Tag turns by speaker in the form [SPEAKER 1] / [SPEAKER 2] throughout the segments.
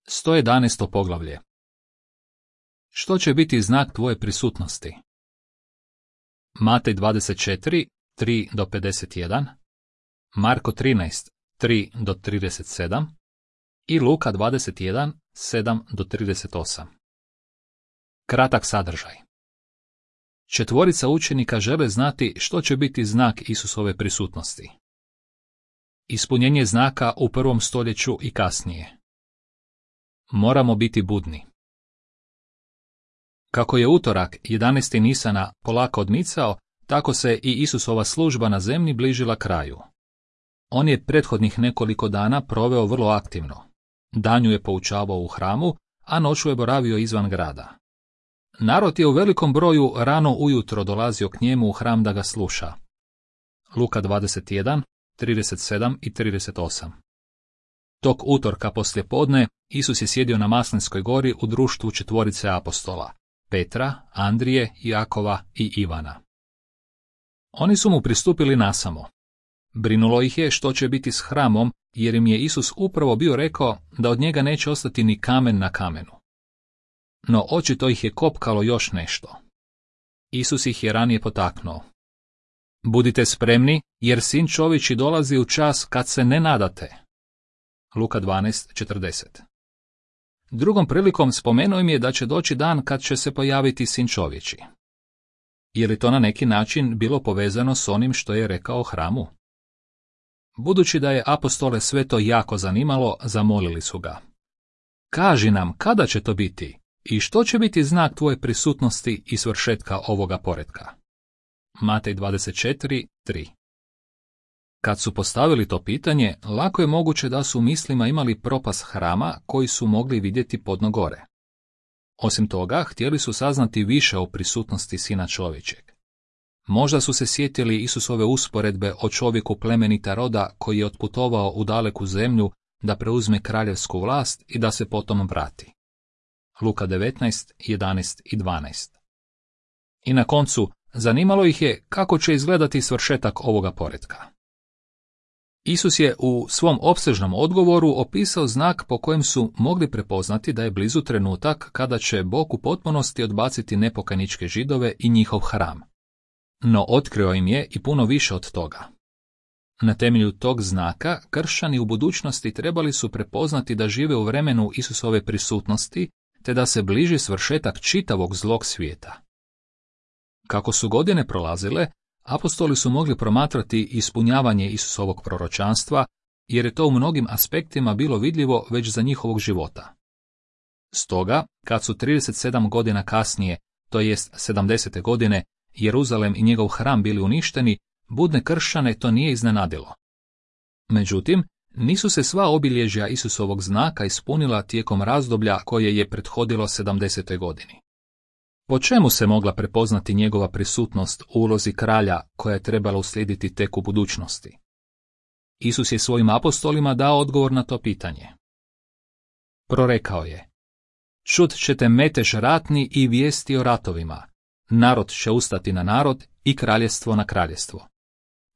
[SPEAKER 1] 111. poglavlje. Što će biti znak tvoje prisutnosti? Matej 24, 3-51, Marko 13, 3-37 i Luka 21, 7-38. Kratak sadržaj. Četvorica učenika žele znati što će biti znak Isusove prisutnosti. Ispunjenje znaka u 1. stoljeću i kasnije. Moramo biti budni. Kako je utorak 11. Nisana polako odmicao, tako se i Isusova služba na zemlji bližila kraju. On je prethodnih nekoliko dana proveo vrlo aktivno. Danju je poučavao u hramu, a noću je boravio izvan grada. Narod je u velikom broju rano ujutro dolazio k njemu u hram da ga sluša. Luka 21, 37 i 38. Tog utorka poslijepodne Isus je sjedio na Maslinskoj gori u društvu četvorice apostola, Petra, Andrije, Jakova i Ivana. Oni su mu pristupili nasamo. Brinulo ih je što će biti s hramom, jer im je Isus upravo bio rekao da od njega neće ostati ni kamen na kamenu. No očito ih je kopkalo još nešto. Isus ih je ranije potaknuo. Budite spremni, jer Sin čovječji dolazi u čas kad se ne nadate. Luka 12:40. Drugom prilikom spomenuo im je da će doći dan kad će se pojaviti Sin čovječji. Je li to na neki način bilo povezano s onim što je rekao hramu? Budući da je apostole sve to jako zanimalo, zamolili su ga. Kaži nam kada će to biti i što će biti znak tvoje prisutnosti i svršetka ovoga poretka. Matej 24:3. Kad su postavili to pitanje, lako je moguće da su u mislima imali propast hrama koji su mogli vidjeti podno gore. Osim toga, htjeli su saznati više o prisutnosti Sina čovječeg. Možda su se sjetili Isusove usporedbe o čovjeku plemenita roda koji je otputovao u daleku zemlju da preuzme kraljevsku vlast i da se potom vrati. Luka 19, 11 i 12. I na koncu, zanimalo ih je kako će izgledati svršetak ovoga poretka. Isus je u svom opsežnom odgovoru opisao znak po kojem su mogli prepoznati da je blizu trenutak kada će Bog u potpunosti odbaciti nepokajničke Židove i njihov hram. No otkrio im je i puno više od toga. Na temelju tog znaka kršćani u budućnosti trebali su prepoznati da žive u vremenu Isusove prisutnosti, te da se bliži svršetak čitavog zlog svijeta. Kako su godine prolazile, apostoli su mogli promatrati ispunjavanje Isusovog proročanstva, jer je to u mnogim aspektima bilo vidljivo već za njihovog života. Stoga, kad su 37 godina kasnije, to jest 70. godine, Jeruzalem i njegov hram bili uništeni, budne kršćane to nije iznenadilo. Međutim, nisu se sva obilježja Isusovog znaka ispunila tijekom razdoblja koje je prethodilo 70. godini. Po čemu se mogla prepoznati njegova prisutnost u ulozi kralja koja je trebala uslijediti tek u budućnosti? Isus je svojim apostolima dao odgovor na to pitanje. Prorekao je: čut ćete metež ratni i vijesti o ratovima. Narod će ustati na narod i kraljestvo na kraljestvo.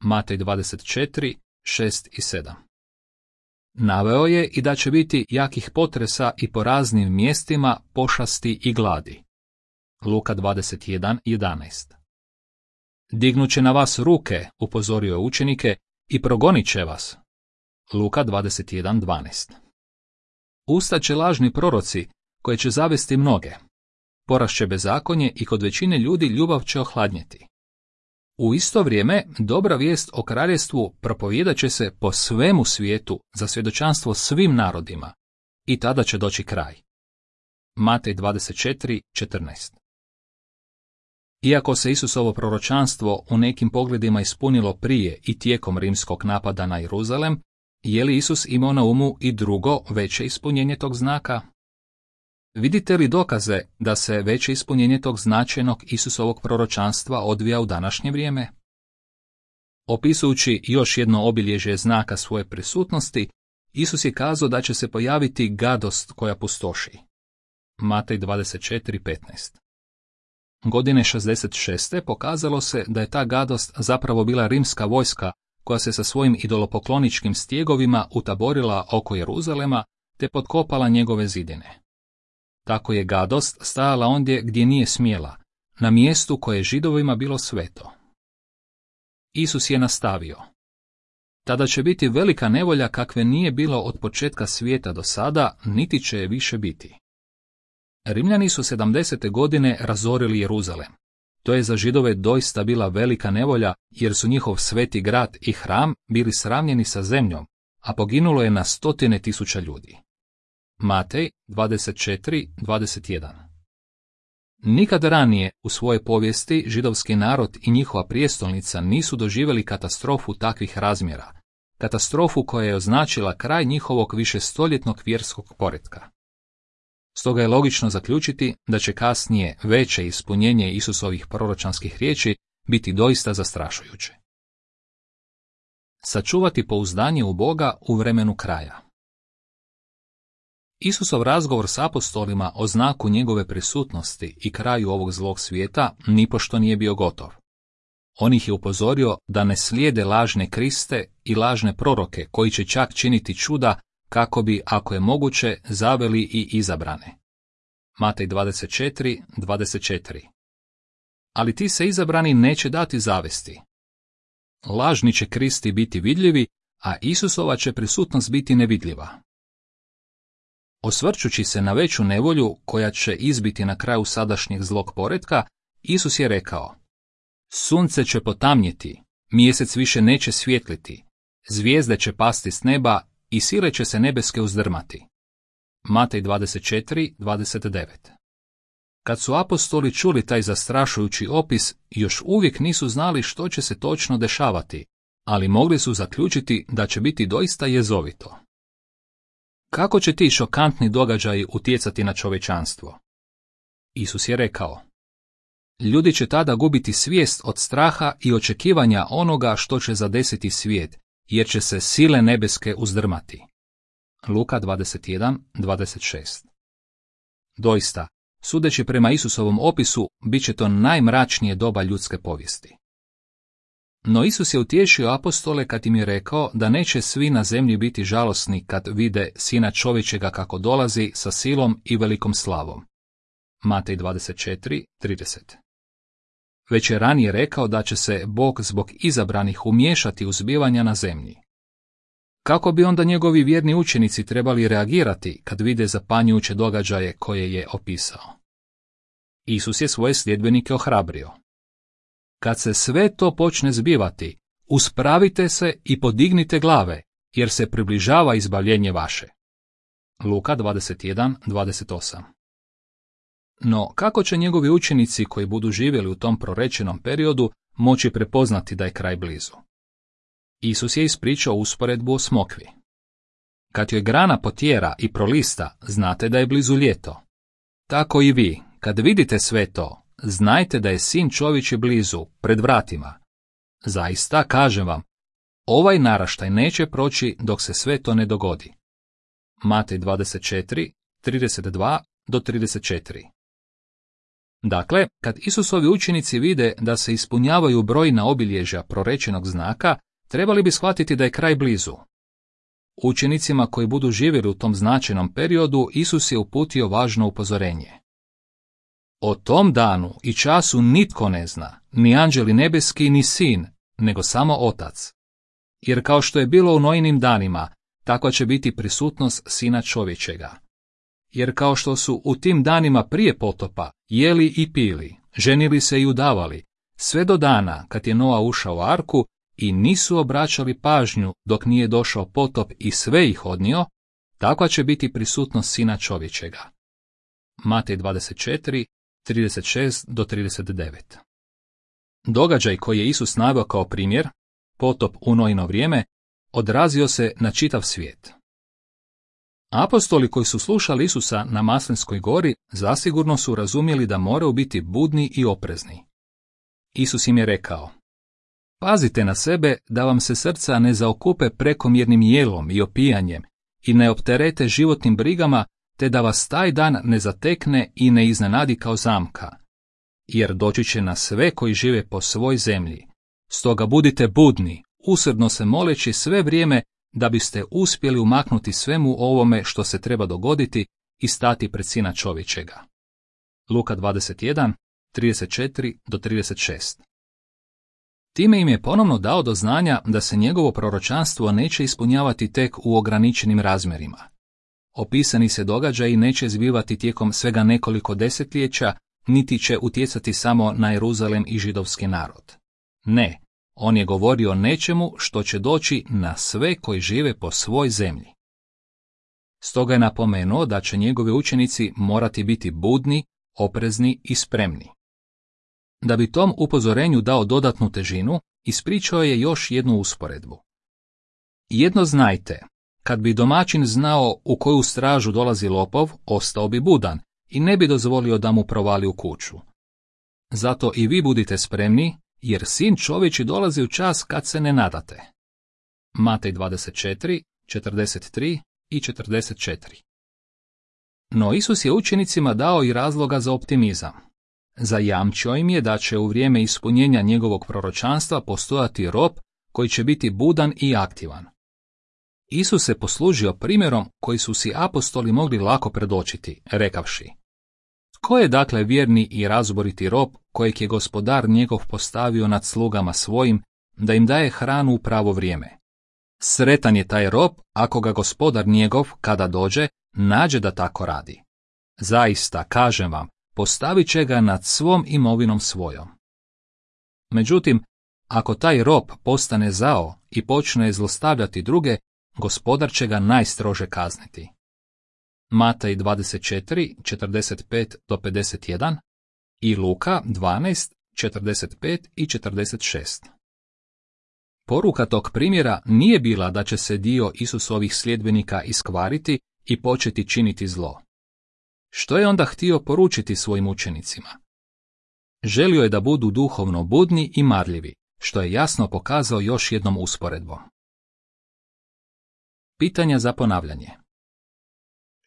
[SPEAKER 1] Matej 24, 6 i 7. Naveo je i da će biti jakih potresa i po raznim mjestima pošasti i gladi. Luka 21, 11. Dignut će na vas ruke, upozorio je učenike, i progonit će vas. Luka 21, 12. Ustaće lažni proroci, koje će zavesti mnoge. Porašće bezakonje i kod većine ljudi ljubav će ohladnjeti. U isto vrijeme, dobra vijest o kraljestvu propovijedat će se po svemu svijetu za svjedočanstvo svim narodima, i tada će doći kraj. Matej 24, 14. Iako se Isusovo proročanstvo u nekim pogledima ispunilo prije i tijekom rimskog napada na Jeruzalem, je li Isus imao na umu i drugo, veće ispunjenje tog znaka? Vidite li dokaze da se veće ispunjenje tog značajnog Isusovog proročanstva odvija u današnje vrijeme? Opisujući još jedno obilježje znaka svoje prisutnosti, Isus je kazao da će se pojaviti gadost koja pustoši. Matej 24:15. Godine 66. pokazalo se da je ta gadost zapravo bila rimska vojska koja se sa svojim idolopokloničkim stjegovima utaborila oko Jeruzalema te potkopala njegove zidine. Tako je gadost stajala ondje gdje nije smjela, na mjestu koje je Židovima bilo sveto. Isus je nastavio: tada će biti velika nevolja kakve nije bilo od početka svijeta do sada, niti će je više biti. Rimljani su 70. godine razorili Jeruzalem. To je za Židove doista bila velika nevolja, jer su njihov sveti grad i hram bili sravnjeni sa zemljom, a poginulo je na 100.000 ljudi. Matej 24:21. Nikad ranije u svojoj povijesti židovski narod i njihova prijestolnica nisu doživjeli katastrofu takvih razmjera, katastrofu koja je označila kraj njihovog višestoljetnog vjerskog poretka. Stoga je logično zaključiti da će kasnije veće ispunjenje Isusovih proročanskih riječi biti doista zastrašujuće. Sačuvati pouzdanje u Boga u vremenu kraja. Isusov razgovor s apostolima o znaku njegove prisutnosti i kraju ovog zlog svijeta nipošto nije bio gotov. On ih je upozorio da ne slijede lažne Kriste i lažne proroke koji će čak činiti čuda kako bi, ako je moguće, zaveli i izabrane. Matej 24:24. Ali ti se izabrani neće dati zavesti. Lažni će Kristi biti vidljivi, a Isusova će prisutnost biti nevidljiva. Osvrćući se na veću nevolju koja će izbiti na kraju sadašnjeg zlog poretka, Isus je rekao: sunce će potamnjeti, mjesec više neće svjetliti, zvijezde će pasti s neba i sile će se nebeske uzdrmati. Matej 24:29. Kad su apostoli čuli taj zastrašujući opis, još uvijek nisu znali što će se točno dešavati, ali mogli su zaključiti da će biti doista jezovito. Kako će ti šokantni događaji utjecati na čovječanstvo? Isus je rekao: ljudi će tada gubiti svijest od straha i očekivanja onoga što će zadesiti svijet, jer će se sile nebeske uzdrmati. Luka 21:26. Doista, sudeći prema Isusovom opisu, bit će to najmračnije doba ljudske povijesti. No Isus je utješio apostole kad im je rekao da neće svi na zemlji biti žalosni kad vide Sina čovječega kako dolazi sa silom i velikom slavom. Matej 24:30. Već je ranije rekao da će se Bog zbog izabranih umiješati u zbivanja na zemlji. Kako bi onda njegovi vjerni učenici trebali reagirati kad vide zapanjujuće događaje koje je opisao? Isus je svoje sljedbenike ohrabrio: kad se sve to počne zbivati, uspravite se i podignite glave, jer se približava izbavljenje vaše. Luka 21:28. No, kako će njegovi učenici koji budu živjeli u tom prorečenom periodu moći prepoznati da je kraj blizu? Isus je ispričao usporedbu o smokvi. Kad joj grana potjera i prolista, znate da je blizu ljeto. Tako i vi, kad vidite sve to, znajte da je Sin čovječji blizu, pred vratima. Zaista, kažem vam, ovaj naraštaj neće proći dok se sve to ne dogodi. Matej 24:32-34. Dakle, kad Isusovi učenici vide da se ispunjavaju brojna obilježja prorečenog znaka, trebali bi shvatiti da je kraj blizu. Učenicima koji budu živjeli u tom značajnom periodu, Isus je uputio važno upozorenje. O tom danu i času nitko ne zna, ni anđeli nebeski, ni sin, nego samo Otac. Jer kao što je bilo u Nojinim danima, takva će biti prisutnost Sina čovječega. Jer kao što su u tim danima prije potopa jeli i pili, ženili se i udavali, sve do dana kad je Noa ušao u arku i nisu obraćali pažnju dok nije došao potop i sve ih odnio, takva će biti prisutnost Sina čovječega. Matej 24:36-39. Događaj koji je Isus naveo kao primjer, potop u Noino vrijeme, odrazio se na čitav svijet. Apostoli koji su slušali Isusa na Maslinskoj gori zasigurno su razumjeli da moraju biti budni i oprezni. Isus im je rekao: pazite na sebe da vam se srca ne zaokupe prekomjernim jelom i opijanjem i ne opterete životnim brigama, te da vas taj dan ne zatekne i ne iznenadi kao zamka. Jer doći će na sve koji žive po svoj zemlji. Stoga budite budni, usrdno se moleći sve vrijeme da biste uspjeli umaknuti svemu ovome što se treba dogoditi i stati pred Sina čovječega. Luka 21, 34-36. Time im je ponovno dao do znanja da se njegovo proročanstvo neće ispunjavati tek u ograničenim razmjerima. Opisani se događaji neće zbivati tijekom svega nekoliko desetljeća, niti će utjecati samo na Jeruzalem i židovski narod. Ne, on je govorio o nečemu što će doći na sve koji žive po svoj zemlji. Stoga je napomenuo da će njegovi učenici morati biti budni, oprezni i spremni. Da bi tom upozorenju dao dodatnu težinu, ispričao je još jednu usporedbu. Jedno znajte, kad bi domaćin znao u koju stražu dolazi lopov, ostao bi budan i ne bi dozvolio da mu provali u kuću. Zato i vi budite spremni, jer Sin čovječji dolazi u čas kad se ne nadate. Matej 24, 43 i 44. No Isus je učenicima dao i razloga za optimizam. Zajamčio im je da će u vrijeme ispunjenja njegovog proročanstva postojati rob koji će biti budan i aktivan. Isus se poslužio primjerom koji su si apostoli mogli lako predočiti, rekavši: Tko je dakle vjerni i razboriti rob kojeg je gospodar njegov postavio nad slugama svojim da im daje hranu u pravo vrijeme? Sretan je taj rob ako ga gospodar njegov, kada dođe, nađe da tako radi. Zaista, kažem vam, postavit će ga nad svom imovinom svojom. Međutim, ako taj rob postane zao i počne zlostavljati druge, gospodar će ga najstrože kazniti. Matej 24, 45-51 i Luka 12, 45 i 46. Poruka tog primjera nije bila da će se dio Isusovih sljedbenika iskvariti i početi činiti zlo. Što je onda htio poručiti svojim učenicima? Želio je da budu duhovno budni i marljivi, što je jasno pokazao još jednom usporedbom. Pitanja za ponavljanje.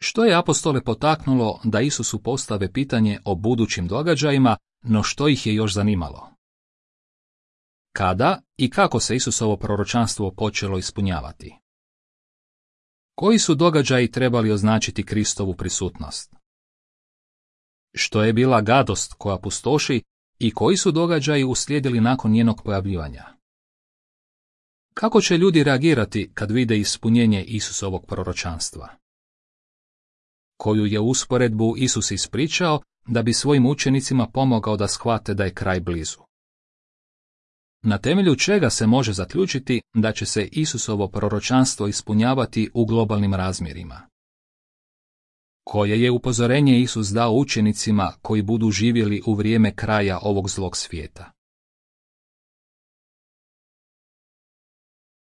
[SPEAKER 1] Što je apostole potaknulo da Isusu postave pitanje o budućim događajima, no što ih je još zanimalo? Kada i kako se Isusovo proročanstvo počelo ispunjavati? Koji su događaji trebali označiti Kristovu prisutnost? Što je bila gadost koja pustoši i koji su događaji uslijedili nakon njenog pojavljivanja? Kako će ljudi reagirati kad vide ispunjenje Isusovog proročanstva? Koju je usporedbu Isus ispričao da bi svojim učenicima pomogao da shvate da je kraj blizu? Na temelju čega se može zaključiti da će se Isusovo proročanstvo ispunjavati u globalnim razmjerima? Koje je upozorenje Isus dao učenicima koji budu živjeli u vrijeme kraja ovog zlog svijeta?